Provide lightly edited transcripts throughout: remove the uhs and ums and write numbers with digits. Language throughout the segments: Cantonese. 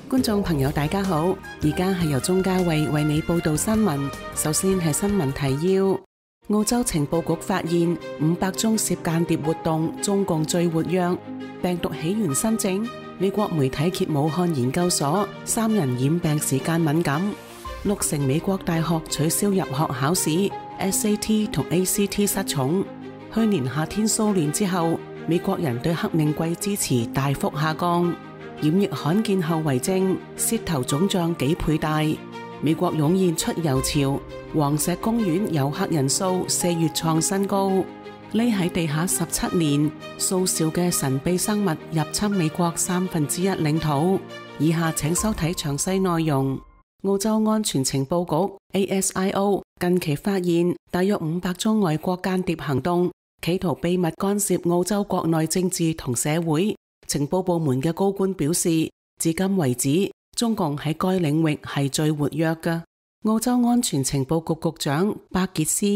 觀眾朋友大家好，而家係由鍾嘉慧為你報道新聞。首先係新聞提要：澳洲情報局發現500宗涉間諜活動，中共最活躍。病毒起源新症，美國媒體揭武漢研究所3人染病時間敏感。6成美國大學取消入學考試 ，SAT 同 ACT 失寵。去年夏天騷亂之後，美國人對黑命貴支持大幅下降。染疫罕見後遺症，舌頭腫脹幾倍大。美國湧現出遊潮，黃石公園遊客人數4月創新高。匿喺地下17年，數兆嘅神秘生物入侵美國1/3領土。以下請收睇詳細內容。澳洲安全情報局 ASIO 近期發現大約500宗外國間諜行動，企圖秘密干涉澳洲國內政治同社會。情報部門嘅高官表示，至今為止，中共喺該領域係最活躍嘅。澳洲安全情報局局長巴傑斯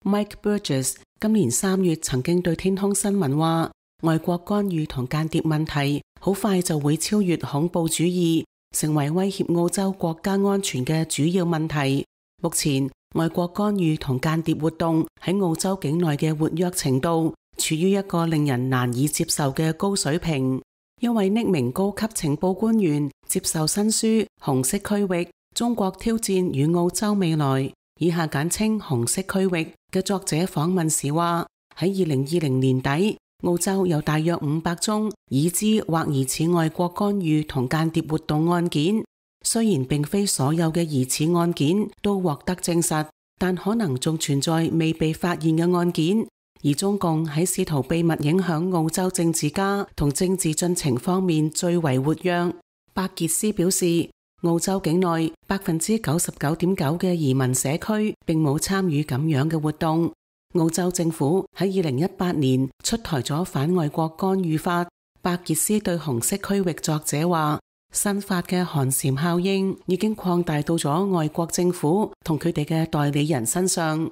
Mike Burgess 今年3月曾經對天空新聞話，外國干預同間諜問題好快就會超越恐怖主義，成為威脅澳洲國家安全嘅主要問題。目前，外國干預同間諜活動喺澳洲境內嘅活躍程度處於一個令人難以接受嘅高水平。一位匿名高級情報官員接受新書《紅色區域：中國挑戰與澳洲未來》（以下簡稱紅色區域）嘅作者訪問時話，喺2020年底，澳洲有大約500宗已知或疑似外國干預同間諜活動案件。雖然並非所有嘅疑似案件都獲得證實，但可能仲存在未被發現嘅案件。而中共喺試圖秘密影響澳洲政治家同政治進程方面最為活躍。巴傑斯表示，澳洲境內99.9%嘅移民社區並冇參與咁樣嘅活動。澳洲政府喺2018年出台咗反外國干預法。巴傑斯對紅色區域作者話，新法嘅寒蟬效應已經擴大到咗外國政府同佢哋嘅代理人身上。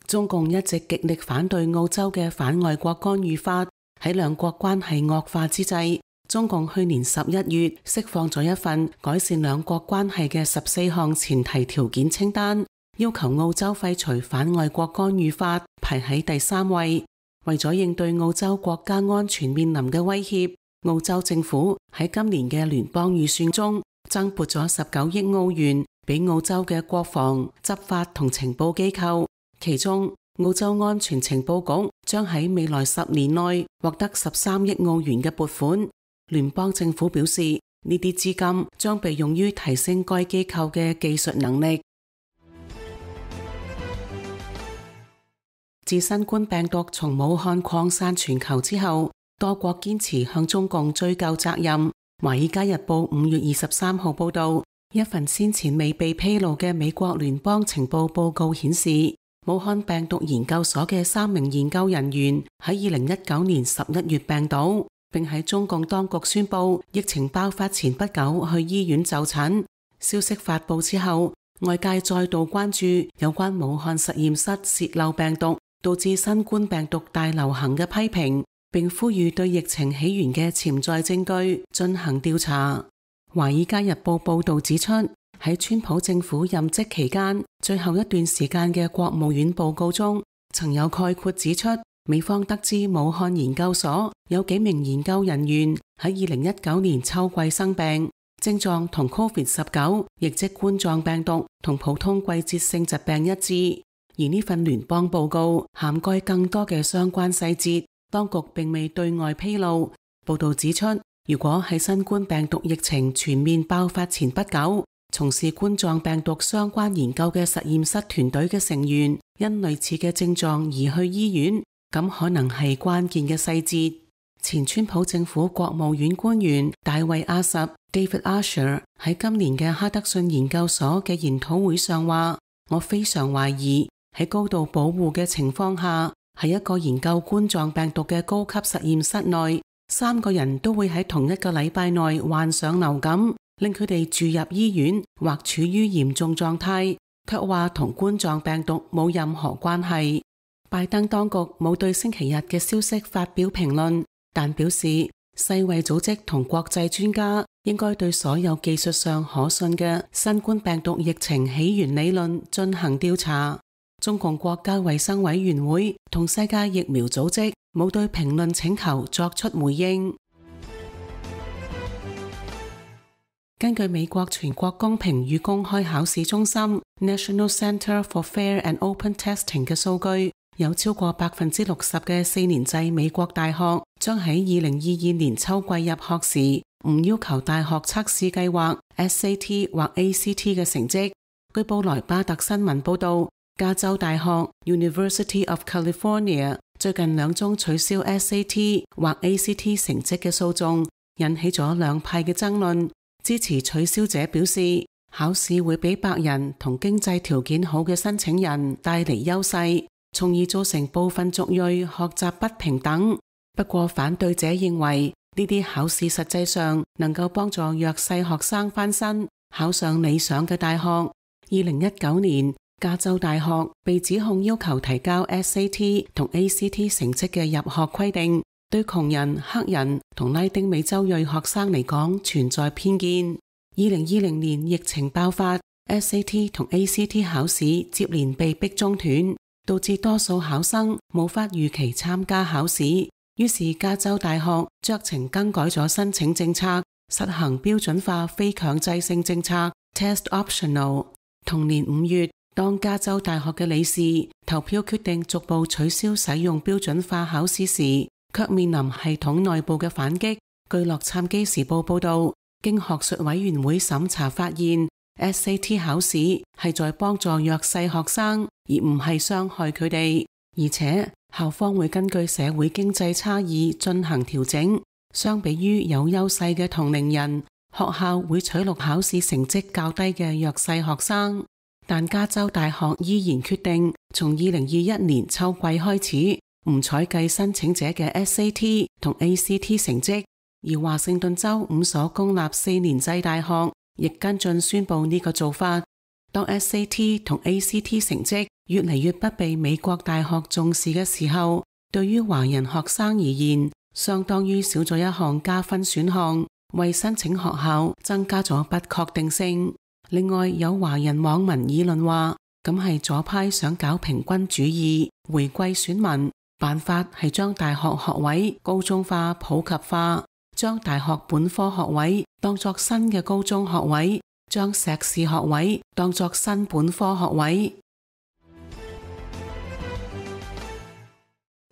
中共一直極力反對澳洲嘅反外國干預法。喺兩國關係惡化之際，中共去年11月釋放咗一份改善兩國關係嘅14項前提條件清單，要求澳洲廢除反外國干預法，排喺第3位。為咗應對澳洲國家安全面臨嘅威脅，澳洲政府喺今年嘅聯邦預算中增撥咗19億澳元俾澳洲嘅國防、執法同情報機構。其中，澳洲安全情報局將喺未來10年內獲得13億澳元嘅撥款。聯邦政府表示，呢啲資金將被用於提升該機構嘅技術能力。自新冠病毒從武漢擴散全球之後，多國堅持向中共追究責任。華爾街日報5月23號報道，一份先前未被披露嘅美國聯邦情報報告顯示，武漢病毒研究所嘅3名研究人員喺2019年11月病倒，並喺中共當局宣布疫情爆發前不久去醫院就診。消息發布之後，外界再度關注有關武漢實驗室洩漏病毒導致新冠病毒大流行嘅批評，並呼籲對疫情起源嘅潛在證據進行調查。華爾街日報報道指出，喺川普政府任職期間最後一段時間嘅國務院報告中，曾有概括指出，美方得知武漢研究所有幾名研究人員喺2019年秋季生病，症狀同 COVID-19 亦即冠狀病毒同普通季節性疾病一致。而呢份聯邦報告涵蓋更多嘅相關細節，當局並未對外披露。報道指出，如果喺新冠病毒疫情全面爆發前不久，從事冠狀病毒相關研究嘅實驗室團隊嘅成員因類似嘅症狀而去醫院，咁可能係關鍵嘅細節。前川普政府國務院官員大衛阿什 David Asher 喺今年嘅哈德遜研究所嘅研討會上話，我非常懷疑喺高度保護嘅情況下，喺一個研究冠狀病毒嘅高級實驗室內，3個人都會喺同一個禮拜內患上流感，令佢哋住入醫院或處於嚴重狀態，卻話同冠狀病毒冇任何關係。拜登當局冇對星期日嘅消息發表評論，但表示世衛組織同國際專家應該對所有技術上可信嘅新冠病毒疫情起源理論進行調查。中共國家衛生委員會同世界疫苗組織冇對評論請求作出回應。根據美國全國公平與公開考試中心 National Center for Fair and Open Testing 嘅數據，有超過60%嘅4年制美國大學將喺2022年秋季入學時唔要求大學測試計劃 SAT 或 ACT 嘅成績。據布萊巴特新聞報道，加州大學 University of California 最近2宗取消 SAT 或 ACT 成績嘅訴訟，引起咗兩派嘅爭論。支持取消者表示，考試會俾白人同經濟條件好嘅申請人帶嚟優勢，從而造成部分族裔學習不平等。不過反對者認為，呢啲考試實際上能夠幫助弱勢學生翻身，考上理想嘅大學。2019年，加州大學被指控要求提交 SAT 同 ACT 成績嘅入學規定，對窮人、黑人同拉丁美洲裔學生嚟講存在偏見。2020年疫情爆發， SAT 同 ACT 考試接連被迫中斷，導致多數考生無法如期參加考試。於是加州大學酌情更改咗申請政策，實行標準化非強制性政策 Test Optional。同年5月，當加州大學嘅理事投票決定逐步取消使用標準化考試時，卻面臨系統內部嘅反擊。據洛杉磯時報報道，經學術委員會審查發現， SAT 考試係在幫助弱勢學生，而唔係傷害佢哋。而且校方會根據社會經濟差異進行調整。相比於有優勢嘅同齡人，學校會取錄考試成績較低嘅弱勢學生。但加州大學依然決定從2021年秋季開始唔採計申請者嘅 SAT 同 ACT 成績，而華盛頓州5所公立4年制大學亦跟進宣布呢個做法。當 SAT 同 ACT 成績越嚟越不被美國大學重視嘅時候，對於華人學生而言，相當於少咗一項加分選項，為申請學校增加咗不確定性。另外，有華人網民議論話，咁係左派想搞平均主義，回歸選民，辦法係將大學學位高中化、普及化，將大學本科學位當作新嘅高中學位，將碩士學位當作新本科學位。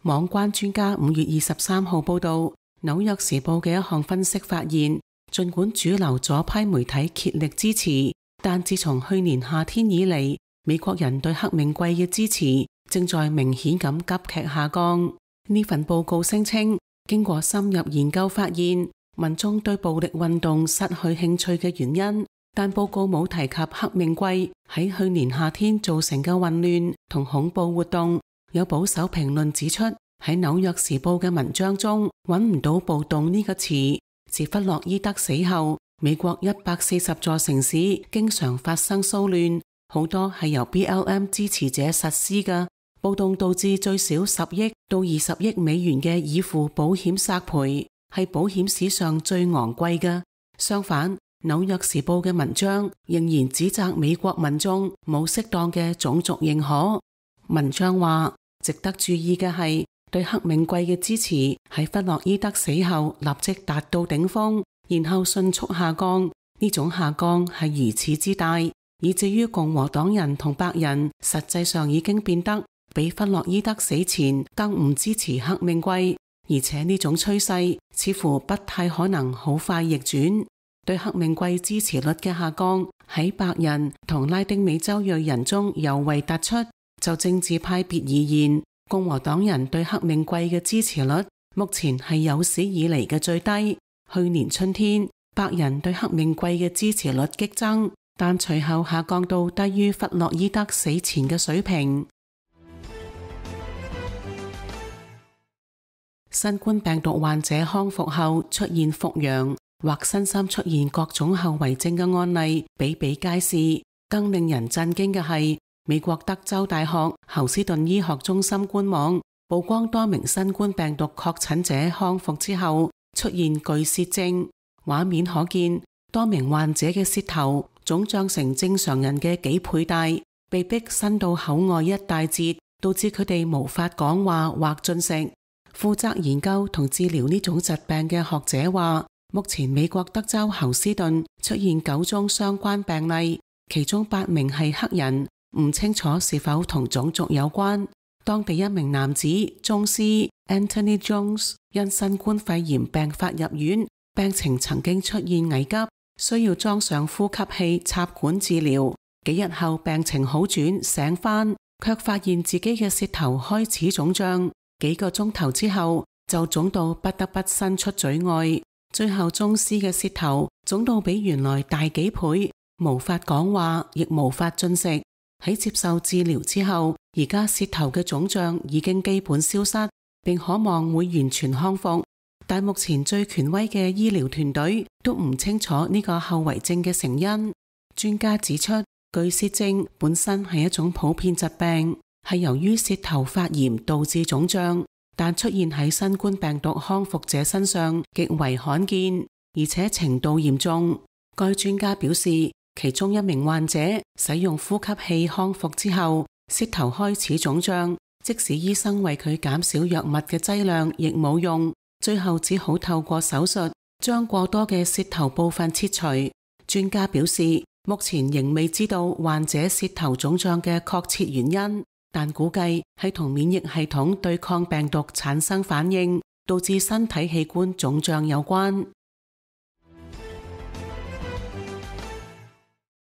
網關專家5月23號報道，紐約時報嘅一項分析發現，儘管主流左派媒體竭力支持，但自從去年夏天以嚟，美國人對黑命貴嘅支持正在明顯咁急劇下降。呢份報告聲稱，經過深入研究發現，民眾對暴力運動失去興趣嘅原因，但報告冇提及黑命貴喺去年夏天造成嘅混亂同恐怖活動。有保守評論指出，喺紐約時報嘅文章中揾唔到暴動呢個詞。自弗洛伊德死後，美國140座城市經常發生騷亂，好多係由 BLM 支持者實施嘅。暴動導致最少10億到20億美元嘅已付保險索賠，係保險史上最昂貴嘅。相反，紐約時報嘅文章仍然指責美國民眾冇適當嘅種族認可。文章話，值得注意嘅係，對黑命貴嘅支持喺弗洛伊德死後立即達到頂峰，然後迅速下降。呢種下降係如此之大，以至於共和黨人同白人實際上已經變得比弗洛伊德死前更唔支持黑命貴，而且呢種趨勢似乎不太可能好快逆轉。對黑命貴支持率嘅下降喺白人同拉丁美洲裔人中尤為突出。就政治派別而言，共和黨人對黑命貴嘅支持率目前係有史以嚟嘅最低。去年春天，白人對黑命貴嘅支持率激增，但隨後下降到低於弗洛伊德死前嘅水平。新冠病毒患者康復後出現復陽或身心出現各種後遺症嘅案例比比皆是。更令人震驚嘅係，美國德州大學侯斯頓醫學中心官網曝光多名新冠病毒確診者康復之後出現巨泄症，畫面可見，多名患者嘅舌頭腫脹成正常人嘅幾倍大，被迫伸到口外一大截，導致佢哋無法講話或進食。負責研究同治療呢種疾病嘅學者話，目前美國德州侯斯頓出現9宗相關病例，其中8名係黑人，唔清楚是否同種族有關。當地一名男子宗斯 Anthony Jones 因新冠肺炎病發入院，病情曾經出現危急，需要裝上呼吸器插管治療。幾日後病情好轉，醒返，卻發現自己嘅舌頭開始腫脹。幾個鐘頭之後就腫到不得不伸出嘴外，最後宗斯嘅舌頭腫到比原來大幾倍，無法講話，亦無法進食。喺接受治療之後，而家舌頭嘅腫脹已經基本消失，並可望會完全康復。但目前最權威嘅醫療團隊都唔清楚呢個後遺症嘅成因。專家指出，巨舌症本身係一種普遍疾病，係由於舌頭發炎導致腫脹，但出現喺新冠病毒康復者身上極為罕見，而且程度嚴重。該專家表示，其中一名患者使用呼吸器康復之後，舌頭開始腫脹，即使醫生為佢減少藥物嘅劑量，亦冇用，最後只好透過手術將過多嘅舌頭部分切除。專家表示，目前仍未知道患者舌頭腫脹嘅確切原因，但估計係同免疫系統對抗病毒產生反應，導致身體器官腫脹有關。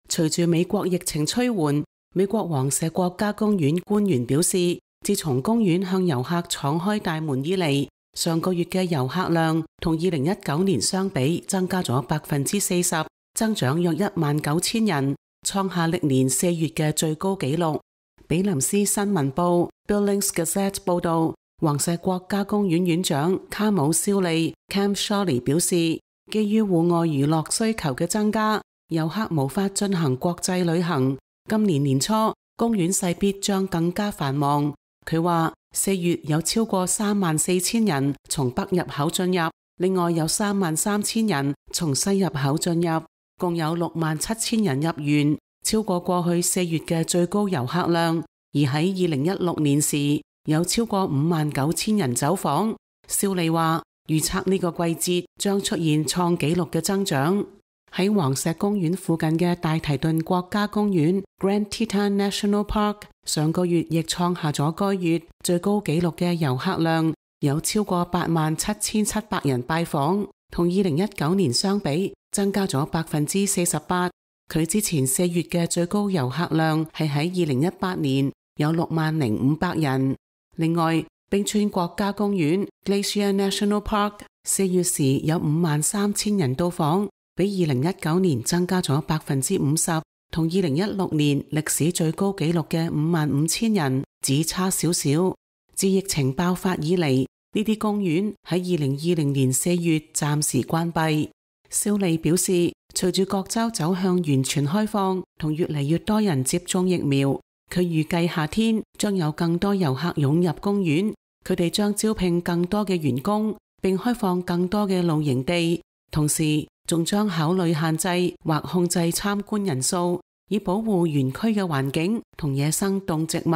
隨住美國疫情趨緩，美國黃石國家公園官員表示，自從公園向遊客敞開大門以嚟，上個月嘅遊客量同2019年相比增加咗40%，增長約19000人，創下歷年4月嘅最高紀錄。比林斯新聞報 Billings Gazette 報道，黃石國家公園園長卡姆肖利 Cam Shawley 表示，基於戶外娛樂需求嘅增加，遊客無法進行國際旅行。今年年初，公園勢必將更加繁忙。佢話4月有超過34000人從北入口進入，另外有33000人從西入口進入，共有67000人入園，超過過去4月嘅最高遊客量。而喺2016年時，有超過59000人走訪。肖利話預測呢個季節將出現創紀錄嘅增長。喺黃石公園附近嘅大提頓國家公園 Grand Teton National Park 上個月亦創下咗該月最高紀錄嘅遊客量，有超過87700人拜訪，同2019年相比增加咗48%。佢之前4月嘅最高遊客量係喺2018年，有60500人。另外，冰川國家公園 Glacier National Park 4月時有53000人到訪，比2019年增加咗50%，同2016年歷史最高紀錄嘅55000人只差少少。自疫情爆發以嚟，呢啲公園喺2020年4月暫時關閉。肖利表示，隨住各州走向完全開放，同越嚟越多人接種疫苗，佢預計夏天將有更多遊客湧入公園。佢哋將招聘更多嘅員工，並開放更多嘅露營地，同時仲將考慮限制或控制參觀人數，以保護園區嘅環境同野生動植物。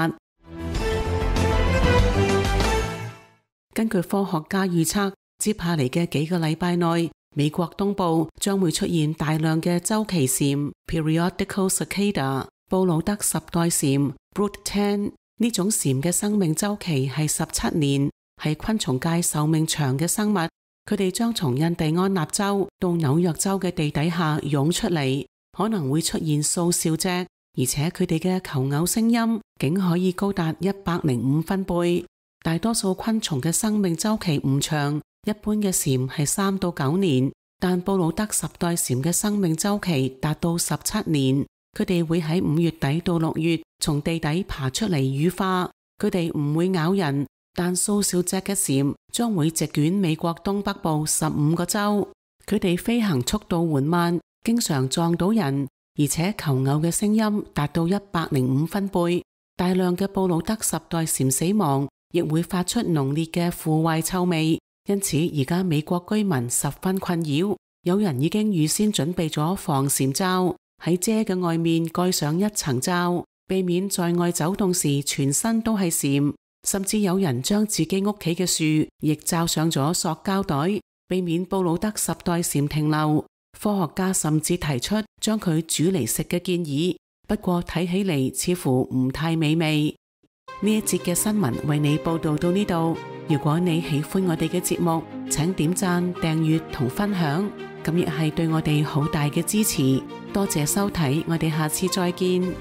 根據科學家預測，接下嚟嘅幾個禮拜內，美國東部將會出現大量嘅周期蟬 （Periodical Cicada）、布魯德十代蟬 （Brood 10）。呢種蟬嘅生命周期係17年，係昆蟲界壽命長嘅生物。佢哋將從印第安納州到紐約州嘅地底下湧出嚟，可能會出現數兆隻，而且佢哋嘅求偶聲音竟可以高達105分貝。大多數昆蟲嘅生命周期唔長，一般嘅蟬係3到9年，但布魯德十代蟬嘅生命周期達到17年。佢哋會喺5月底到6月從地底爬出嚟羽化。佢哋唔會咬人，但數兆隻嘅蟬將會席捲美國東北部15個州。佢哋飛行速度緩慢，經常撞到人，而且求偶嘅聲音達到105分貝。大量嘅布魯德十代蟬死亡，亦會發出濃烈嘅腐壞臭味，因此而家美國居民十分困擾。有人已經預先準備咗防禪罩，喺遮嘅外面蓋上一層罩，避免在外走動時全身都係禪。甚至有人將自己屋企嘅樹亦罩上咗塑膠袋，避免布魯德10代禪停留。科學家甚至提出將佢煮嚟食嘅建議，不過睇起嚟似乎唔太美味。呢一節嘅新聞為你報道到呢度。如果你喜歡我哋嘅節目，請點讚、訂閱同分享，咁亦係對我哋好大嘅支持。多謝收睇，我哋下次再見。